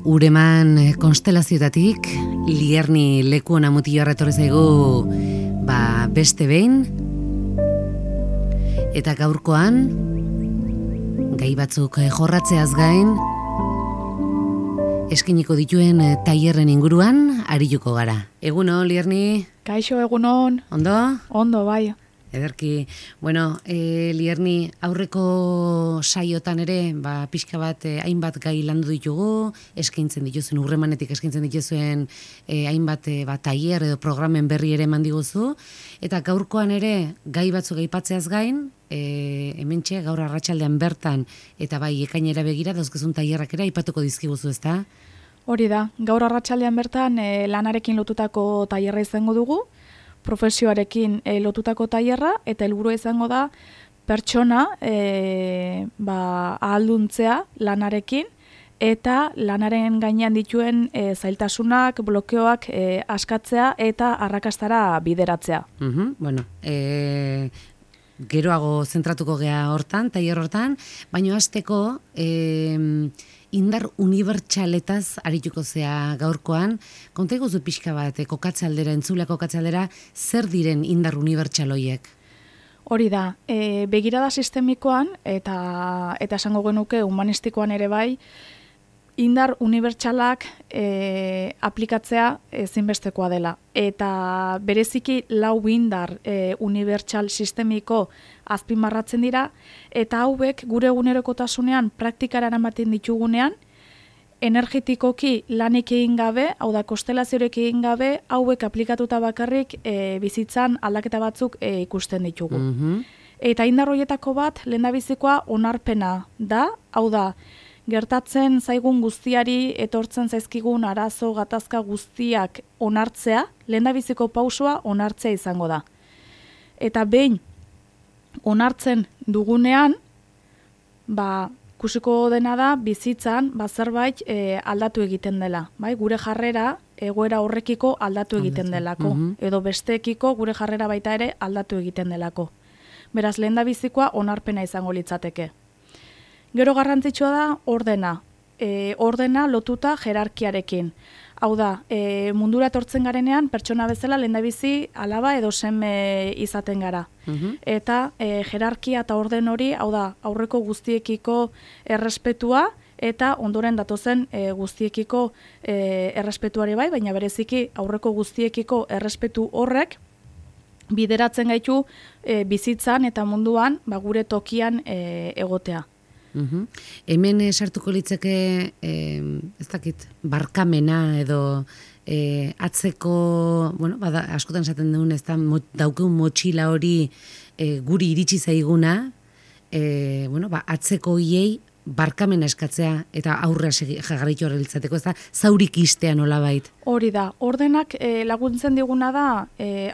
Ureman konstelazioetatik, Lierni leku ona mutio erretorri zaigu beste behin, eta gaurkoan, gai batzuk jorratzeaz gain, eskiniko dituen tailerren inguruan arituko gara. Egunon, Lierni? Kaixo, egunon. Ondo? Ondo, bai. Ederki, bueno, Lierni, aurreko saiotan ere, pixka bat hainbat gai landu ditugu, eskaintzen dituzuen, Urremanetik eskaintzen dituzuen hainbat tailer edo programen berri ere eman diguzu, eta gaurkoan ere gai batzuk aipatzeaz gain, hementxe gaur arratsaldean bertan, eta bai ekainera begira dauzkezun tailerrak ere aipatuko dizkiguzu, ezta? Hori da, gaur arratsaldean bertan lanarekin lotutako tailerra izango dugu, profesioarekin lotutako tailerra, eta helburua izango da pertsona ahalduntzea lanarekin, eta lanaren gainean dituen zailtasunak, blokeoak askatzea eta arrakastara bideratzea. Bueno, geroago zentratuko gea hortan, tailer hortan, baina hasteko indar unibertsaletaz arituko zea gaurkoan, konta iguzu pixka bat, kokatze aldera, entzulea kokatze aldera, zer diren indar unibertsaloiek? Hori da, begirada sistemikoan, eta esango genuke humanistikoan ere bai, indar unibertsalak aplikatzea ezinbestekoa dela. Eta bereziki lau indar unibertsal sistemiko azpimarratzen dira, eta hauek gure egunerokotasunean praktikara eramaten ditugunean, energetikoki lanik egin gabe, hau da konstelaziorik egin gabe, hauek aplikatuta bakarrik bizitzan aldaketa batzuk ikusten ditugu. Eta indar horietako bat, lehendabizikoa onarpena da, hau da, gertatzen zaigun guztiari etortzen zaizkigun arazo gatazka guztiak onartzea, lehendabiziko pausua onartzea izango da. Eta behin onartzen dugunean, ikusiko dena da bizitzan zerbait aldatu egiten dela. Gure jarrera egoera horrekiko aldatu egiten delako. Edo besteekiko gure jarrera baita ere aldatu egiten delako. Beraz, lehendabizikoa onarpena izango litzateke. Gero garrantzitsua da ordena. Ordena lotuta jerarkiarekin. Hau da, mundura etortzen garenean, pertsona bezala lehendabizi alaba edo seme izaten gara. Eta jerarkia eta orden hori, hau da, aurreko guztiekiko errespetua, eta ondoren datozen guztiekiko errespetuari bai, baina bereziki aurreko guztiekiko errespetu horrek, bideratzen gaitu bizitzan eta munduan gure tokian egotea. Hemen sartuko litzake, ez dakit, barkamena edo atzeko, askotan esaten dugun, ez da, daukeun motxila hori guri iritsi zaiguna, atzeko hiei barkamena eskatzea eta aurrea jarraitu horrelitzateko, ez da, zaurik istea nolabait. Hori da, ordenak laguntzen diguna da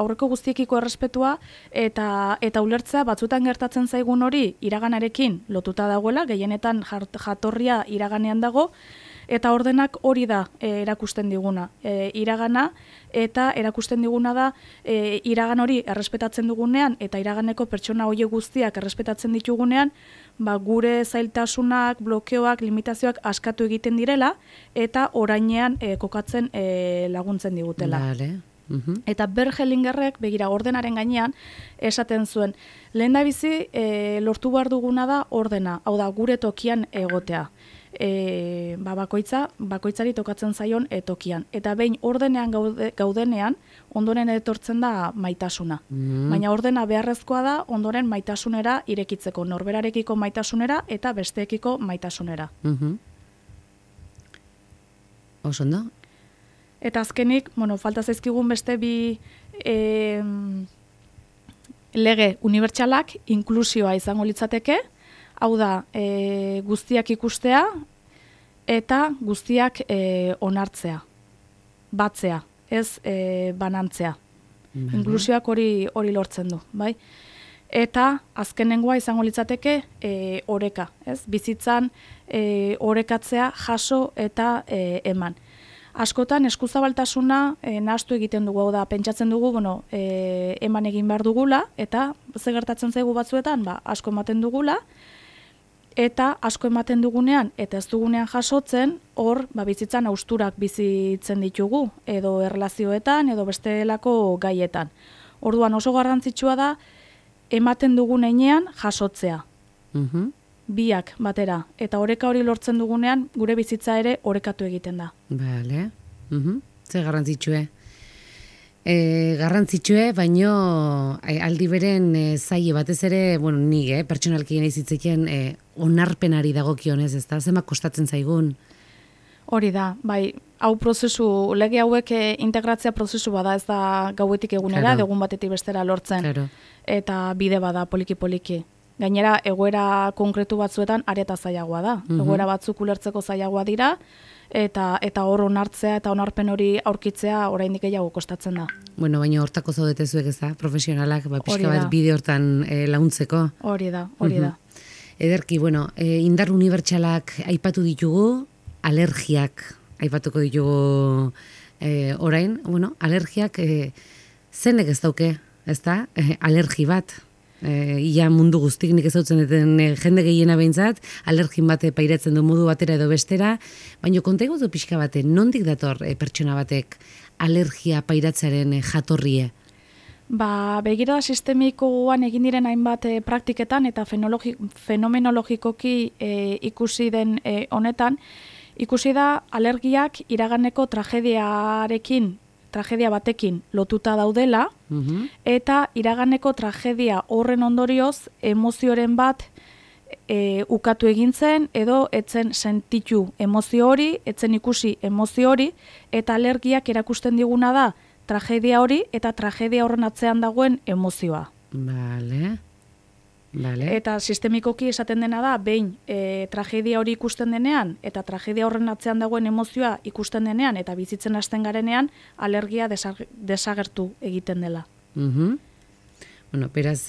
aurreko guztiekiko errespetua eta ulertzea batzutan gertatzen zaigun hori iraganarekin lotuta dagoela, gehienetan jatorria iraganean dago, eta ordenak hori da erakusten diguna. Iragana eta erakusten diguna da iragan hori errespetatzen dugunean eta iraganeko pertsona horiek guztiak errespetatzen ditugunean, gure zailtasunak, blokeoak, limitazioak askatu egiten direla eta orainean kokatzen laguntzen digutela. Eta Bergelingerrek, begira, ordenaren gainean, esaten zuen, lehendabizi lortu behar duguna da ordena, hau da, gure tokian egotea. Bakoitzari tokatzen zaion tokian. Eta behin ordenean gaudenean, ondoren etortzen da maitasuna. Baina ordena beharrezkoa da, ondoren maitasunera irekitzeko, norberarekiko maitasunera eta besteekiko maitasunera. Osondo? Eta azkenik, falta zaizkigun beste bi lege unibertsalak, inklusioa izango litzateke, hau da, guztiak ikustea eta guztiak onartzea, batzea, ez banantzea. Inklusioak hori lortzen du, bai? Eta azkenengoa izango litzateke oreka, ez? Bizitzan orekatzea, jaso eta eman. Askotan eskuzabaltasuna nahastu egiten dugu, da pentsatzen dugu, eman egin behar dugula, eta ze gertatzen zaigu batzuetan, asko ematen dugula, eta asko ematen dugunean eta ez dugunean jasotzen, hor bizitzan hausturak bizitzen ditugu, edo erlazioetan, edo bestelako gaietan. Orduan oso garrantzitsua da, ematen dugun heinean jasotzea. Biak batera. Eta oreka hori lortzen dugunean, gure bizitza ere orekatu egiten da. Bale. Ze garrantzitsue. Garrantzitsue, baino aldi beren zaie batez ere, bueno, nik, pertsonalki nahi zitzeken onarpenari dagokionez, ez da? Zemak kostatzen zaigun? Hori da, bai, hau prozesu, lege hauek integratzea prozesu bada, ez da gauetik egunera, egun batetik bestera lortzen. Claro. Eta bide bada poliki-poliki. Gainera, egoera konkretu batzuetan areta zailagoa da. Egoera batzuk ulertzeko zailagoa dira, eta hor onartzea eta onarpen hori aurkitzea oraindik gehiago kostatzen da. Bueno, baina hortako zaudete zuek, ez da? Profesionalak, pixka bat bide hortan launtzeko. Hori da. Ederki, bueno, indar unibertsalak aipatu ditugu, alergiak aipatuko ditugu orain. Bueno, alergiak zenek ez dauke, ez da? Alergi bat. Ia mundu guztik nik ezautzen duten jende gehiena behintzat, alergin bat pairatzen du modu batera edo bestera, baina konta iguzu pixka bate, nondik dator pertsona batek alergia pairatzearen jatorrie? Begirada sistemikoan egin diren hainbat praktiketan eta fenomenologikoki ikusi den honetan, ikusi da alergiak iraganeko tragedia batekin lotuta daudela, eta iraganeko tragedia horren ondorioz emozioren bat ukatu egintzen, edo etzen sentitu emozio hori, etzen ikusi emozio hori, eta alergiak erakusten diguna da tragedia hori, eta tragedia horren atzean dagoen emozioa. Vale. Eta sistemikoki esaten dena da, behin tragedia hori ikusten denean, eta tragedia horren atzean dagoen emozioa ikusten denean, eta bizitzen hasten garenean, alergia desagertu egiten dela. Bueno, beraz,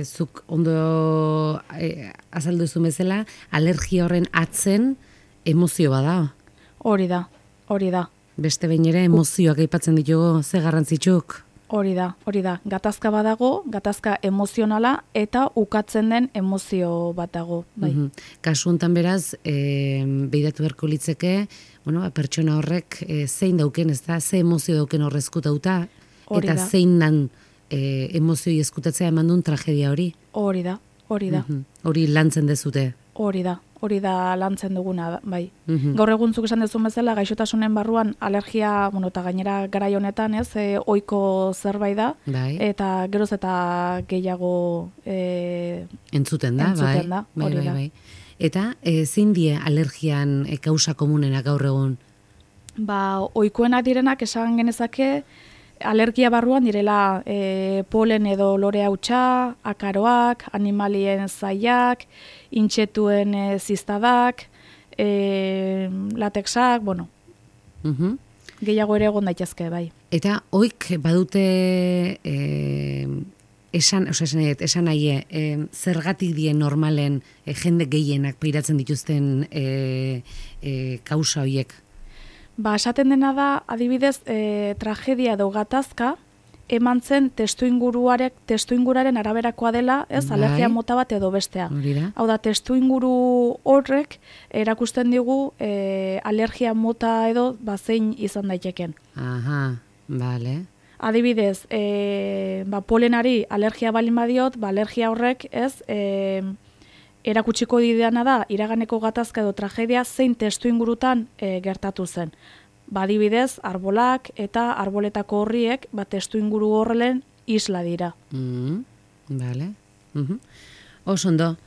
zuk ondo azaldu zu bezala, alergia horren atzen emozio bada. Hori da. Beste behin ere emozioak aipatzen ditugu, ze garrantzitsuk? Hori da. Gatazka badago, gatazka emozionala eta ukatzen den emozio bat dago. Bai. Kasu hontan beraz, behiratu beharko litzeke, pertsona horrek zein dauken, ez da, ze emozio dauken horrezkutauta, eta zein nan emozioi eskutatzea eman duen tragedia hori. Hori da. Hori lantzen dezute. Hori da lantzen duguna, bai. Gaur eguntzuk esan dezun bezala, gaixotasunen barruan alergia, eta gainera garai honetan, ez, ohiko zerbait da, bai. Eta geroz eta gehiago entzuten da, hori da. Eta zein die alergian kausa komunenak gaur egun? Ohikoenak direnak esan genezake, alergia barruan direla polen edo lore hautsa, akaroak, animalien zaiak, intxetuen ziztadak, latexak, gehiago ere egon daitezke, bai. Eta oik badute esan nahi, zergatik die normalen jende gehienak pairatzen dituzten kausa horiek? Esaten dena da, adibidez, tragedia edo gatazka, eman zen testuinguraren araberakoa dela, ez, alergia mota bat edo bestea. Hau da, testuinguru horrek erakusten digu alergia mota edo zein izan daiteken. Aha, bale. Adibidez, polenari alergia balin badiot, alergia horrek, ez, erakutsiko dideana da, iraganeko gatazka edo tragedia zein testuingurutan gertatu zen. Adibidez, arbolak eta arboletako horriek, testuinguru horrelen isla dira. Bale. Oso ondo.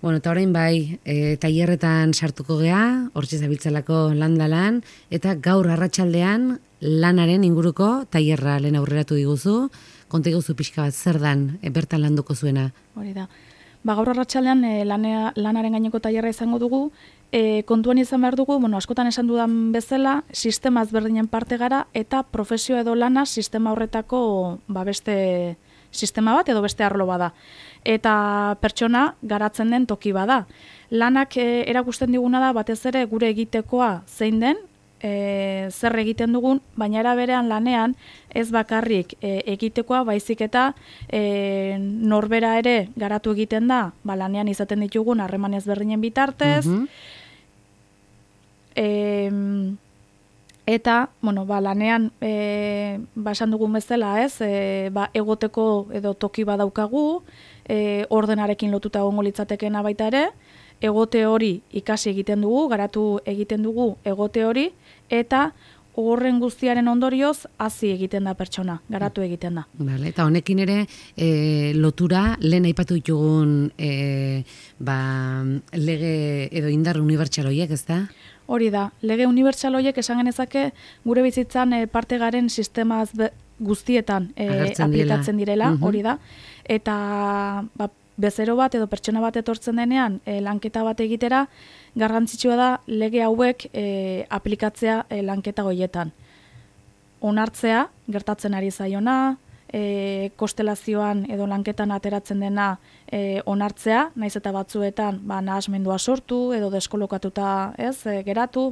Bueno, eta orain bai, tailerretan sartuko gea, hortxe zabiltzalako landalan, eta gaur arratsaldean lanaren inguruko tailerra lehen aurreratu diguzu, konta iguzu pixka bat zer dan bertan landuko zuena. Hori da. Gaur arratsaldean lanaren gaineko tailerra izango dugu, kontuan izan behar dugu, askotan esan dudan bezala, sistema ezberdinen parte gara, eta profesio edo lana sistema horretako beste sistema bat edo beste arlo bada. Eta pertsona garatzen den toki bada. Lanak erakusten diguna da, batez ere gure egitekoa zein den, zer egiten dugun, baina era berean lanean ez bakarrik egitekoa, baizik eta norbera ere garatu egiten da, lanean izaten ditugun harreman ezberdinen bitartez, eta, lanean esan dugun bezala, ez, egoteko edo toki badaukagu, ordenarekin lotuta egongo litzatekeena baita ere, egote hori ikasi egiten dugu, garatu egiten dugu egote hori, eta horren guztiaren ondorioz hazi egiten da pertsona, garatu egiten da. Vale, eta honekin ere lotura lehen aipatu ditugun lege edo indar unibertsal horiek, ez da? Hori da, lege unibertsal horiek esan genezake gure bizitzan parte garen sistema guztietan aplikatzen direla, hori da, eta bezero bat edo pertsona bat etortzen denean lanketa bat egitera, garrantzitsua da lege hauek aplikatzea lanketa goietan. Onartzea, gertatzen ari zaiona, konstelazioan edo lanketan ateratzen dena onartzea, naiz eta batzuetan nahasmendua sortu edo deskolokatuta geratu,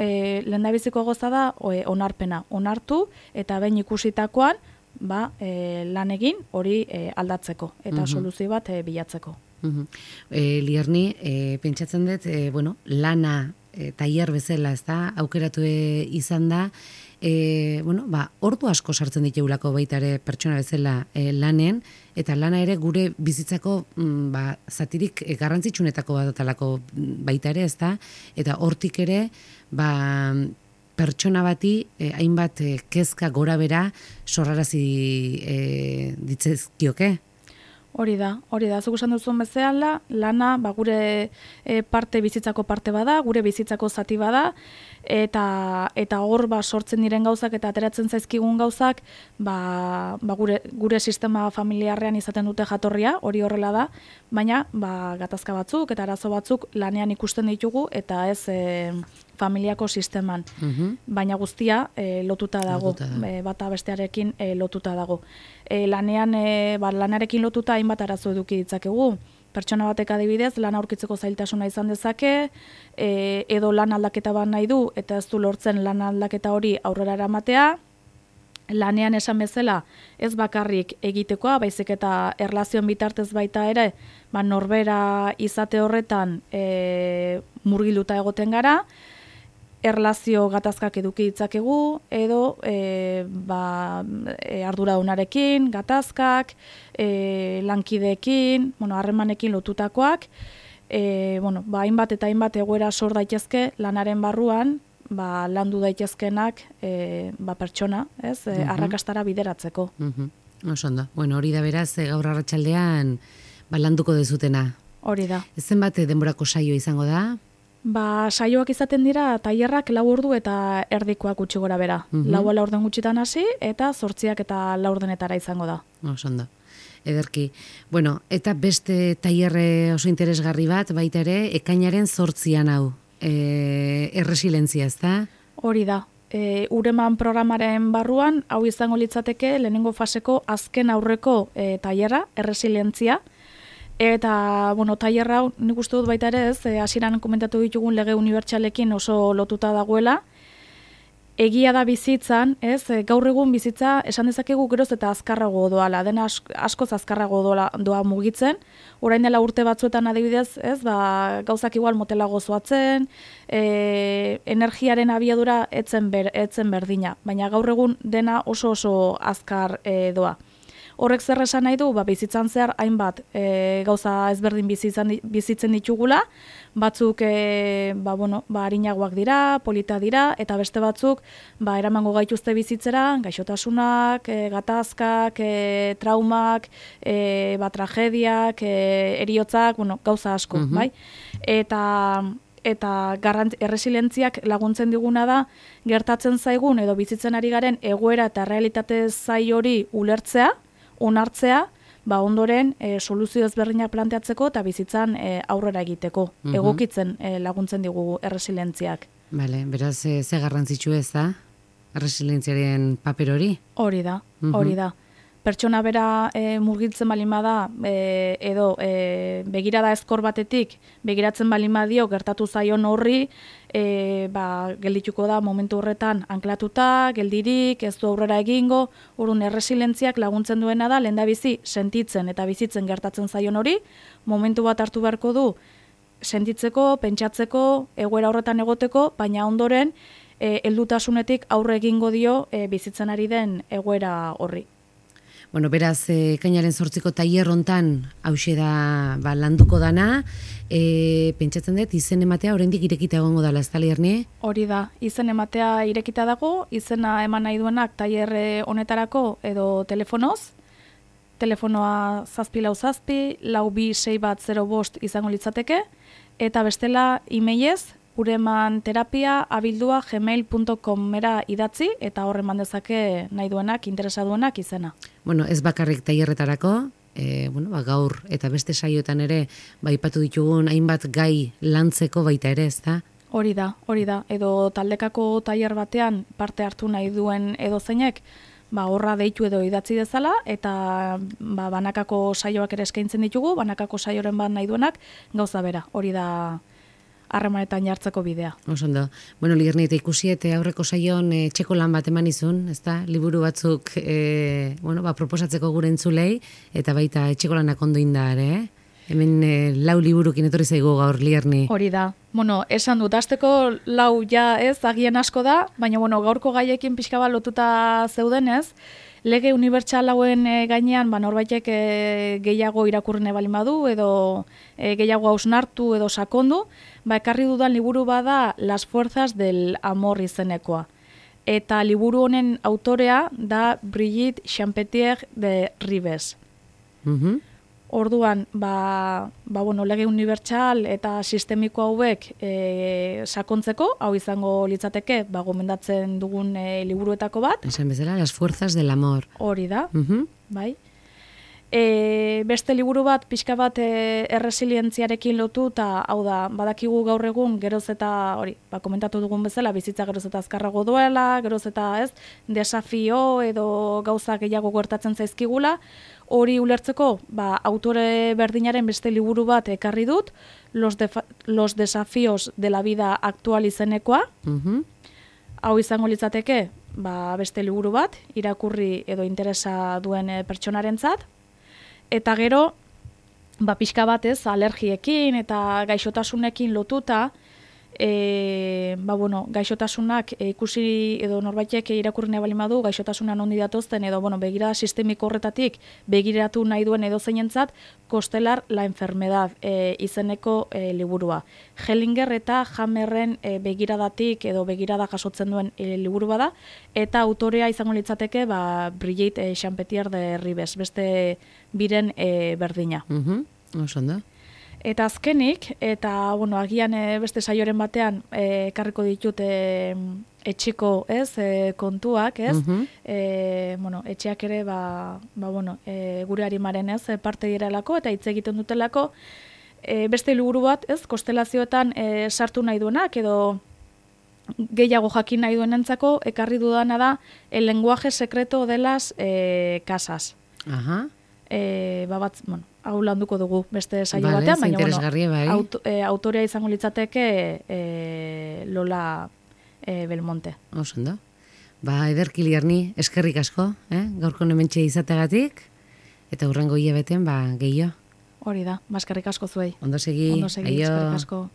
lehendabiziko goza da onarpena, onartu eta behin ikusitakoan lan egin hori aldatzeko eta soluzio bat bilatzeko. Lierni, pentsatzen dut, lana tailer bezala, ez da, aukeratu izan da, ordu asko sartzen ditugulako baita ere pertsona bezala lanen, eta lana ere gure bizitzako zatirik garrantzitsunetako badatalako baita ere, ez da, eta hortik ere, pertsona bati hainbat kezka gora bera sorrarazi ditzezkioke. Hori da, zuk esan duzun bezala, lana gure bizitzako parte bada, gure bizitzako zati bada, eta hor sortzen diren gauzak eta ateratzen zaizkigun gauzak, gure sistema familiarrean izaten dute jatorria, hori horrela da, baina gatazka batzuk eta arazo batzuk lanean ikusten ditugu eta ez familiako sisteman. Baina guztia lotuta dago, bata bestearekin lotuta dago. Lanarekin lotuta hainbat arazo eduki ditzakegu. Pertsona batek adibidez, lan aurkitzeko zailtasuna izan dezake, edo lan aldaketa bat nahi du, eta ez du lortzen lan aldaketa hori aurrera eramatea, lanean esan bezala ez bakarrik egitekoa, baizik eta erlazioen bitartez baita ere, norbera izate horretan murgilduta egoten gara, erlazio gatazkak eduki ditzakegu, edo arduradunarekin, gatazkak, lankideekin, harremanekin lotutakoak, hainbat eta hainbat egoera sor daitezke lanaren barruan, landu daitezkenak pertsona, arrakastara bideratzeko. Oso ondo. Hori da beraz, gaur arratsaldean landuko dezutena. Hori da. Zenbat denborako saio izango da? Saioak izaten dira tailerrak 4 ordu eta erdikoak gutxi gora bera. 4 laurden gutxitan hasi eta 8 eta laurdenetara izango da. Oso ondo. Ederki. Eta beste tailerre oso interesgarri bat baita ere, ekainaren 8an hau. Erresilientzia, ez da? Hori da. Ureman programaren barruan, hau izango litzateke lehenengo faseko azken aurreko tailerra, erresilientzia. Eta, tailer hau nik uste dut baita ere ez, hasieran komentatu ditugun lege unibertsalekin oso lotuta dagoela. Egia da bizitzan, ez, gaur egun bizitza esan dezakegu geroz eta azkarrago doala, dena askoz azkarrago doa mugitzen. Orain dela urte batzuetan adibidez, ez, gauzak igual motelago zoatzen, energiaren abiadura etzen berdina, baina gaur egun dena oso azkar doa. Horrek zer esan nahi du, bizitzan zehar hainbat gauza ezberdin bizitzen ditugula, batzuk harinagoak dira, polita dira, eta beste batzuk eramango gaituzte bizitzera, gaixotasunak, gatazkak, traumak, tragediak, heriotzak, gauza asko, bai? Eta erresilientziak laguntzen diguna da, gertatzen zaigun edo bizitzen ari garen egoera eta realitate zai hori ulertzea, onartzea, ondoren soluzio ezberdinak planteatzeko eta bizitzan aurrera egiteko. Egokitzen laguntzen digu erresilientziak. Bale, beraz, ze garrantzitsu ez da? Erresilientziaren paper hori? Hori da. pertsona bera murgiltzen balin bada edo begirada ezkor batetik begiratzen balin badio gertatu zaion horri, geldituko da momentu horretan anklatuta, geldirik, ez du aurrera egingo, orduan erresilentziak laguntzen duena da lehendabizi sentitzen eta bizitzen gertatzen zaion hori, momentu bat hartu beharko du sentitzeko, pentsatzeko, egoera horretan egoteko, baina ondoren heldutasunetik aurre egingo dio bizitzen ari den egoera horri. Bueno, beraz, ekainaren 8ko tailer hontan hauxe da landuko dana, pentsatzen dut, izen ematea oraindik irekita egongo dela, ezta Lierni? Hori da, izen ematea irekita dago, izena eman nahi duenak tailer honetarako edo telefonoz, telefonoa 747 426105 izango litzateke, eta bestela emailez, uremanterapia@gmail.com-era idatzi eta hor eman dezake nahi duenak, interesa duenak izena. Bueno, ez bakarrik tailerretarako, gaur eta beste saioetan ere aipatu ditugun hainbat gai lantzeko baita ere, ezta? Hori da, edo taldekako tailer batean parte hartu nahi duen edozeinek, horra deitu edo idatzi dezala, eta banakako saioak ere eskaintzen ditugu, banakako saioren bat nahi duenak, gauza bera, hori da harremanetan jartzeko bidea. Osondo. Bueno, Lierni, eta ikusi eta aurreko saion txeko lan bat eman izun, ezta? Liburu batzuk proposatzeko gure entzulei, eta baita etxeko lanak ondo inda ere, Hemen 4 liburukin etorri zaigu gaur, Lierni. Hori da. Esan dut, hasteko 4 ja ez, agian asko da, baina gaurko gaiekin pixka bat lotuta zeudenez, lege unibertsal hauen gainean norbaitek gehiago irakurne balin badu edo gehiago hausnartu edo sakondu, ekarri dudan liburu bada Las fuerzas del amor izenekoa. Eta liburu honen autorea da Brigitte Champetier de Ribes. Orduan, lege unibertsal eta sistemiko hauek sakontzeko, hau izango litzateke, gomendatzen dugun liburuetako bat. Esan bezala, Las fuerzas del amor. Hori da, bai. Beste liburu bat, pixka bat erresilientziarekin lotu, eta hau da, badakigu gaur egun, geroz eta, komentatu dugun bezala, bizitza geroz eta azkarrago duela, geroz eta ez, desafio edo gauza gehiago gertatzen zaizkigula, hori ulertzeko, autore berdinaren beste liburu bat ekarri dut, Los desafíos de la vida actual izenekoa, hau izango litzateke, beste liburu bat, irakurri edo interesa duen pertsonarentzat, eta gero, pixka batez, alergiekin eta gaixotasunekin lotuta, gaixotasunak ikusi edo norbaitek irakurri nahi balin badu, gaixotasunan ondi datozten edo begirada sistemiko horretatik begiratu nahi duen edo zeinentzat, Kostelar la enfermedad izeneko liburua. Hellinger eta Hammerren begiradatik edo begirada jasotzen duen liburu bada, eta autorea izango litzateke Brigitte Champetier de Ribes, beste biren berdina. Osondo. Eta azkenik, eta agian beste saioren batean ekarriko ditut etxeko kontuak, ez? Etxeak ere, gure harimaren parte direlako eta hitz egiten dutelako, beste liburu bat, ez? Kostelazioetan sartu nahi duenak, edo gehiago jakin nahi duenentzako, ekarri dudana da, el lenguaje secreto de las casas. Hau landuko dugu beste saio batean, baina autorea izango litzateke Lola Belmonte. Osondo. Ederki Lierni, eskerrik asko, gaurko hementxe izategatik, eta hurrengo hilabeten gehiago. Hori da, eskerrik asko zuei. Ondo segi, eskerrik asko.